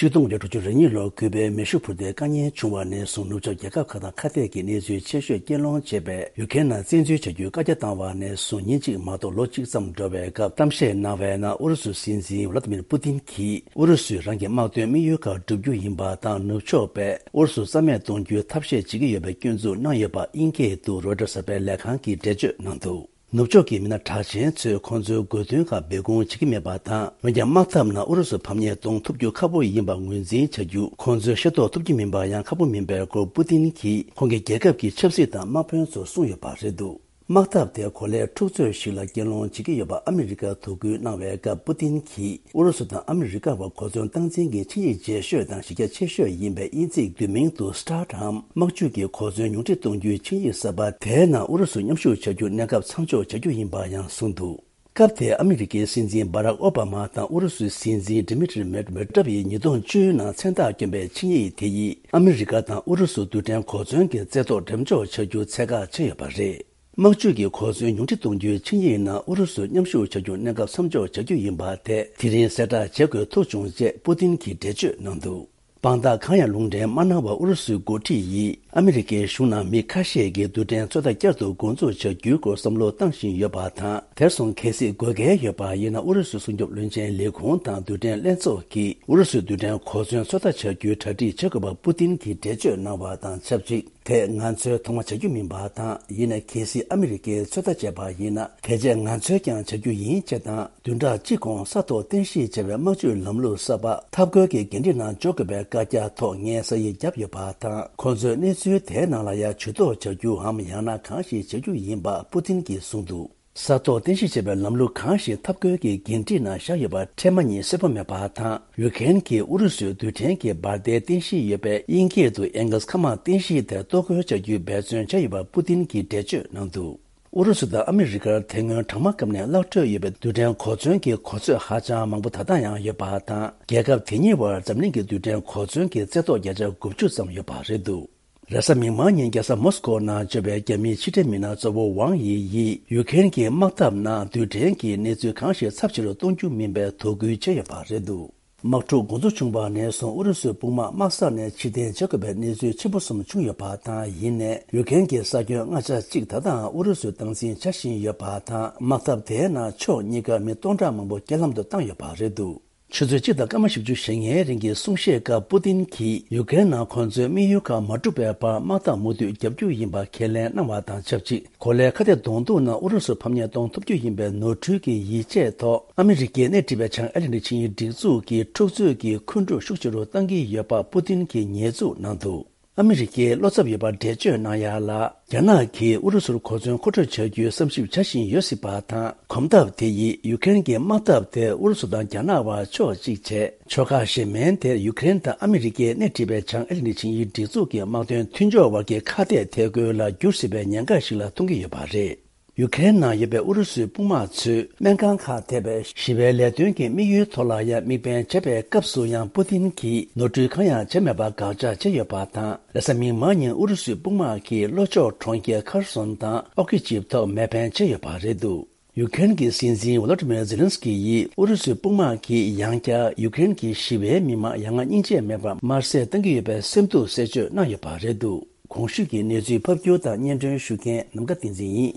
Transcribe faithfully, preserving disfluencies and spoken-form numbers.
ཆིག་སྟོང་དགུ་བརྒྱ་དྲུག་ཅུ་རེ་གཉིས་ལོར་ཀུ་པའི་མེ་ཤུགས་འཕུར་མདེལ་བཀག་ཉར་བྱུང་བ་ནས་བཟུང་ནུབ་ཕྱོགས་རྒྱལ་ཁབ་ཁག་དང་ཁ་གཏད་ཀྱི་གནས་ཚུལ་ཆེ་ཤོས་རྐྱེན་སློང་བྱས་པའི་ཡུ་ཀེ་རན་ནང་བཙན་འཛུལ་བྱ་རྒྱུའི་བཀའ་རྒྱ་བཏང་བ་ནས་བཟུང་ཉིན་གཅིག་མ་གཏོགས་ལོ་གཅིག་ཙམ་འགྲོ་བའི་སྐབས་གཏམ་བཤད་གནང་བའི་ནང་ཨུ་རུ་སུའི་སྲིད་འཛིན་ཝ་ལ་ཏི་མིར་པུ་ཏིན་གྱིས་ཨུ་རུ་སུས་རང་གི་དམག་དོན་དམིགས་ཡུལ་ཁག་བསྒྲུབ་རྒྱུ་ཡིན་པ་དང་ནུབ་ཕྱོགས་པས་ཨུ་རུ་སུ་རྩ་མེད་གཏོང་རྒྱུའི་ཐབས་ཤེས་བྱེད་ཀྱི་ཡོད་པའི་སྐྱོན་འཛུགས་གནང་ཡོད་པ་དབྱིན་སྐད་དུ་རོའི་ཊར་གསར་པའི་ལས་ཁང་གིས་འགྲེལ་བརྗོད་གནང་འདུག་ནུབ་ཕྱོགས་ཀྱི་མི་སྣ་གྲགས་ཅན་ཚོས་ཁོང་ཚོའི་དགོས་འདུན་ཁག་སྦས་སྐུང་བྱེད་ཀྱི་མེད་པ་དང་། འོན་ཀྱང་དམག་འཐབ་ནང་ཨུ་རུ་སུ་ཕམ་ཉེས་གཏོང་ཐུབ་རྒྱུ་ཁག་པོ་ཡིན་པ་ངོས་འཛིན་བྱ་རྒྱུ་ཁོང་ཚོས་ཤེས་རྟོགས་ཐུབ་ཀྱི་མིན་པ་ཡང་ཁག་པོ་མིན་པའི་སྐོར་པུ་ཏིན་གྱིས་ཁོང་གི་རྒྱལ་ཁབ་ཀྱི་ཆབ་སྲིད་དང་དམག་དཔོན་ཚོར་གསུངས་ཡོད་པ་རེད་འདུག་དམག་འཐབ་དེ་གོ་ལའི་འཁྲུག་རྩོད་ཞིག་ལ་སྐྱོན་སློང་བྱེད་ཀྱི་ཡོད་པ་ཨ་མི་རི་ཀར་དོ་ཁུར་གནང་བའི་སྐབས་པུ་ཏིན་གྱིས། ཨུ་རུ་སུ་དང་ཨ་མི་རི་ཀ་བར་གོ་མཚོན་སྟངས་འཛིན་གྱི་ཆིངས་ཡིག་རྗེས་ཤོས་དང་གཞི་རྒྱ་ཆེ་ཤོས་ཡིན་པའི་དབྱིན་ཚིག་བསྡུས་མིང་དུ་STARTའམ་དམག་ཇུས་ཀྱི་གོ་མཚོན་ཉུང་འཕྲི་གཏོང་རྒྱུའི་ཆིངས་ཡིག་གསར་པ་དེའི་ནང་ཨུ་རུ་སུ་མཉམ་ཞུགས་བྱ་རྒྱུ་གནས་སྐབས་མཚམས་འཇོག་བྱ་རྒྱུ་ཡིན་པ་ཡང་གསུངས་འདུག་སྐབས་དེར་ཨ་མི་རི་ཀའི་སྲིད་འཛིན་སྦ་རག་ཨོ་བྷ་མ་དང་ཨུ་རུ་སུའི་སྲིད་འཛིན་ཌི་མི་ཏྲི་མེད་ཝེ་ཌེབ་ཡིས་ཉིས་སྟོང་བཅུ་ནང་མཚན་རྟགས་བསྐྱོན་པའི་ཆིངས་ཡིག་དེ་ཡིས་ཨ་མི་རི་ཀ་དང་ཨུ་རུ་སུ་རྡུལ་ཕྲན་གོ་མཚོན་གྱི་རྩེ་ཐོག་འགྲེམས་འཇོག་བྱ་རྒྱུ་ཚད་བཀག་བྱས་ཡོད་པ་རེད། དམག་ཇུས་ཀྱི་གོ་མཚོན་ཉུང་འཕྲི་གཏོང་རྒྱུའི་ཆིངས་ཡིག་ནང་ཨུ་རུ་སུ་མཉམ་ཞུགས་བྱ་རྒྱུ་གནས་སྐབས་མཚམས་འཇོག་བྱ་རྒྱུ་ཡིན་པ་དེ་དེ་རིང་གསལ་བསྒྲགས་བྱེད་དགོས་ཐུག་བྱུང་ཅེས་པུ་ཏིན་གྱིས་འགྲེལ་བརྗོད་གནང་འདུག་དཔང་རྟགས་གང་ཡང་ལུང་འདྲེན་མ་གནང་བར་ཨུ་རུ་སུའི་འགོ་ཁྲིད་ཡིས་ཨ་མི་རི་ཀའི་གཞུང་ནང་མི་ཁ་ཤས་ཀྱིས་རྡུལ་ཕྲན་ཚོད་ལྟ་བསྐྱར་དུ་འགོ་འཛུགས་བྱ་རྒྱུའི་སྐོར་བསམ་བློ་བཏང་བཞིན་ཡོད་པ་དང་། དེར་སོང་གལ་སྲིད་དགོས་གལ་ཡོད་པ་ཡིན་ན་ཨུ་རུ་སུའི་སྲུང་སྐྱོབ་བློན་ཆེན་ལས་ཁུངས་དང་རྡུལ་ཕྲན་ལྷན་ཚོགས་ཀྱིས་ཨུ་རུ་སུའི་རྡུལ་ཕྲན་གོ་མཚོན་ཚོད་ལྟ་བྱ་རྒྱུའི་གྲ་སྒྲིག་བྱེད་དགོས་པ་པུ་ཏིན་གྱིས་འགྲེལ་བརྗོད་གནང་བ་དང་ཆབས་ཅིག་དེ་ང་ཚོས་ཐོག་མ་བྱ་རྒྱུ་མིན་པ་དང་། ཡིན་ནའི་གལ་སྲིད་ཨ་མི་རི་ཀས་ཚོད་ལྟ་བྱས་པ་ཡིན་ན། དེ་རྗེས་ང་ཚོས་ཀྱང་བྱ་རྒྱུ་ཡིན་ཅེས་དང་། བདུན་ཕྲག་གཅིག་གོང་ས་ཐོག་རྟེན་གཞི་བྱས་པའི་དམག་ཇུས་ལམ་ལུགས་གསར་པ་འཐབ་རྒོལ་གྱི་འགན་འཁྲི་ནང་འཇོག་དགོས་པའི་བཀའ་རྒྱ་ཐོག་ངས་ས་ཡིག་བརྒྱབ་ཡོད་པ་དང་། ཁོང་ཚོས་གནས་ཚུལ་དེའི་ནང་ལ་ཡང་ཇུས་གཏོགས་བྱ་རྒྱུའམ་ཡང་ན་གང་ཞིག་བྱ་རྒྱུ་ཡིན་པ་པུ་ཏིན་གྱིས་གསུངས་འདུག་ས་ཐོག་རྟེན་གཞི་བྱས་པའི་ལམ་ལུགས་གང་ཞིག་འཐབ་རྒོལ་གྱི་འགན་འཁྲི་ནང་བཞག་ཡོད་པ་འཕྲལ་མ་ཉིད་གསལ་པོ་མེད་པ་དང་། ཡུ་ཀེ་རེན་གྱིས་ཨུ་རུ་སུའི་རྡུལ་ཕྲན་གྱི་འབར་མདེལ་རྟེན་གཞི་ཡོད་པའི་དབྱིན་སྐད་དུ་ཨེང་གལ་སི་མཁའ་དམག་རྟེན་གཞི་དེར་གཏོར་རྒོལ་བྱ་རྒྱུའི་འབད་བརྩོན་བྱས་ཡོད་པ་པུ་ཏིན་གྱིས་འགྲེལ་བརྗོད་གནང་འདུག་ཨུ་རུ་སུ་དང་ཨ་མི་རི་ཀར་དེ་སྔོན་གྲང་དམག་སྐབས་ནས་བརླག་འགྲོ་ཡོད་པའི་རྡུལ་ཕྲན་གོ་མཚོན་གྱི་གོ་ཚོད་ཧ་ཅང་མང་པོ་ད་ལྟ་ཡང་ཡོད་པ་དང་། རྒྱལ་ཁབ་དེ་གཉིས་བར་འཛམ་གླིང་གི་རྡུལ་ཕྲན་གོ་མཚོན་གྱི་རྩེ་ཐོག་བརྒྱ་ཆ་དགུ་བཅུ་ཙམ་ཡོད་པ་རེད་འདུག་རེས་གཟའ་མིག་དམར་ཉིན་རྒྱལ་ས་མོ་སི་ཀོ་ནང་འབྱོར་བའི་རྒྱ་མིའི་ཕྱི་འབྲེལ་མི་སྣ་གཙོ་བོ་ཝང་ཡི་ཡིས་ཡུ་ཀེ་རེན་གྱི་དམག་འཐབ་ནང་རྡུལ་ཕྲན་གྱི་གནས་ཚུལ་གང་ཞིག་ཚབས་ཆེ་རུ་གཏོང་རྒྱུ་མིན་པའི་དོ་ཁུར་བྱས་ཡོད་པ་རེད་འདུག་དམག་འཁྲུག་འགོ་འཛུགས་བྱུང་བ་ནས་བཟུང་ཨུ་རུ་སུའི་དཔུང་དམག་དམག་ས་ནས་ཕྱིར་འཐེན་བྱེད་དགོས་པའི་གནས་ཚུལ་ཆེན་པོ་གསུམ་བྱུང་ཡོད་པ་དང་། ཡིན་ནའི་ཡུ་ཀེ་རེན་གྱི་ས་ཁྱོན་ལྔ་ཆ་གཅིག་ད་ལྟའང་ཨུ་རུ་སུས་སྟངས་འཛིན་བྱ་བཞིན་ཡོད་པ་དང་། དམག་འཐབ་དེའི་ནང་ཕྱོགས་གཉིས་ཀ་མི་སྟོང་ཕྲག་མང་པོ་རྐྱེན་ལམ་དུ་བཏང་ཡོད་པ་རེད་འདུག་ཆུ་ཚོད་གཅིག་དང་སྐར་མ་བཞི་བཅུ་ཞེ་ལྔའི་རིང་གི་གསུང་བཤད་སྐབས་པུ་ཏིན་གྱིས་ཡུ་ཀེ་རེན་ནང་ཁོང་ཚོའི་དམིགས་ཡུལ་ཁག་མ་འགྲུབ་པའི་བར་དམག་འཐབ་མུ་མཐུད་བརྒྱབ་རྒྱུ་ཡིན་པ་ཁས་ལེན་གནང་བ་དང་ཆབས་ཅིག་གོ་ལའི་ཁ་གཏད་གདོང་ཐུག་ནང་ཨུ་རུ་སུ་ཕམ་ཉེས་གཏོང་ཐུབ་རྒྱུ་ཡིན་པའི་ནོར་འཁྲུལ་གྱི་ཡིད་ཆེས་ཐོག་ཨ་མི་རི་ཀས་སྣེ་ཁྲིད་པའི་བྱང་ཨེ་ལན་ཌི་ཆིངས་ཡིག་སྒྲིག་འཛུགས་ཀྱི་འཁྲུག་རྩོད་ཀྱི་འཁོན་འགྲོས་ཤུགས་ཆེ་རུ་གཏང་གི་ཡོད་པ་པུ་ཏིན་གྱིས་ཉེས་འཛུགས་གནང་འདུག་ཨ་མི་རི་ཀའི་བློ་འཚབ་ཡོད་པར་འགྲེལ་བརྗོད་གནང་ཡ་ལ། རྒྱ་ནག་གིས་ཨུ་རུ་སུར་གོ་མཚོན་མཁོ་སྤྲོད་བྱ་རྒྱུའི་བསམ་ཞིབ་བྱ་བཞིན་ཡོད་སྲིད་པ་དང་། གོམ་སྟབས་དེ་ཡིས་ཡུ་ཀེ་རེན་གྱི་དམག་འཐབ་དེ་ཨུ་རུ་སུ་དང་རྒྱ་ནག་བར་ཕྱོགས་གཅིག་བྱས། ཕྱོགས་ཁག་གཞན་མིན་དེར་ཡུ་ཀེ་རེན་དང་ཨ་མི་རི་ཀས་སྣེ་ཁྲིད་པའི་བྱང་ཨེ་ལན་ཌི་ཆིངས་ཡིག་སྒྲིག་འཛུགས་ཀྱི་དམག་དོན་མཐུན་ཕྱོགས་བར་གྱི་ཁ་གཏད་ཐད་རྒོལ་ལ་འགྱུར་སྲིད་པའི་ཉེན་ཁ་ཞིག་ལ་མཐོང་གི་ཡོད་པ་རེད། ཡུ་ཀེ་རེན་ནང་ཡོད་པའི་ཨུ་རུ་སུའི་དཔུང་དམག་ཚོས་སྨན་ཁང་ཁག་ཐེ་བའི་ཞི་བའི་ལས་དོན་གྱི་དམིགས་ཡུལ་ཐོག་ལ་ཡང་དམིགས་འབེན་བྱས་པའི་སྐབས་སུ་ཡང་པུ་ཏིན་གྱིས་ནོར་འཁྲུལ་གང་ཡང་བྱས་མེད་པར་དགག་བྱ་བྱས་ཡོད་པ་དང་། རེས་གཟའ་མིག་དམར་ཉིན་ཨུ་རུ་སུའི་དཔུང་དམག་གིས་ལྷོ་ཕྱོགས་གྲོང་ཁྱེར་ཁར་སོན་དང་ཨོ་ཀི་ཅིབ་ཐོག་མེ་འཕེན་བྱས་ཡོད་པ་རེད་འདུག་ཡུ་ཀེ་རེན་གྱི་སྲིད་འཛིན་ཝོ་ལོ་ཏི་མིར་ཛེ་ལན་སི་ཀི་ཡིས་ཨུ་རུ་སུའི་དཔུང་དམག་གིས་ཡང་བསྐྱར་ཡུ་ཀེ་རེན་གྱི་ཞི་བའི་མི་མང་ཡ་ང་སྙིང་རྗེ་མེད་པར་དམར་གསོད་གཏང་གི་ཡོད་པའི་སེམས་སྡུག་གསལ་བརྗོད་གནང་ཡོད་པ་རེད་འདུག་གོང་ཞུས་ཀྱི་གནས་ཚུལ་ཕབ་སྒྱུར་དང་སྙན་སྒྲོན་ཞུ་མཁན་ནམ་མཁའ་བསྟན་འཛིན་ཡིན།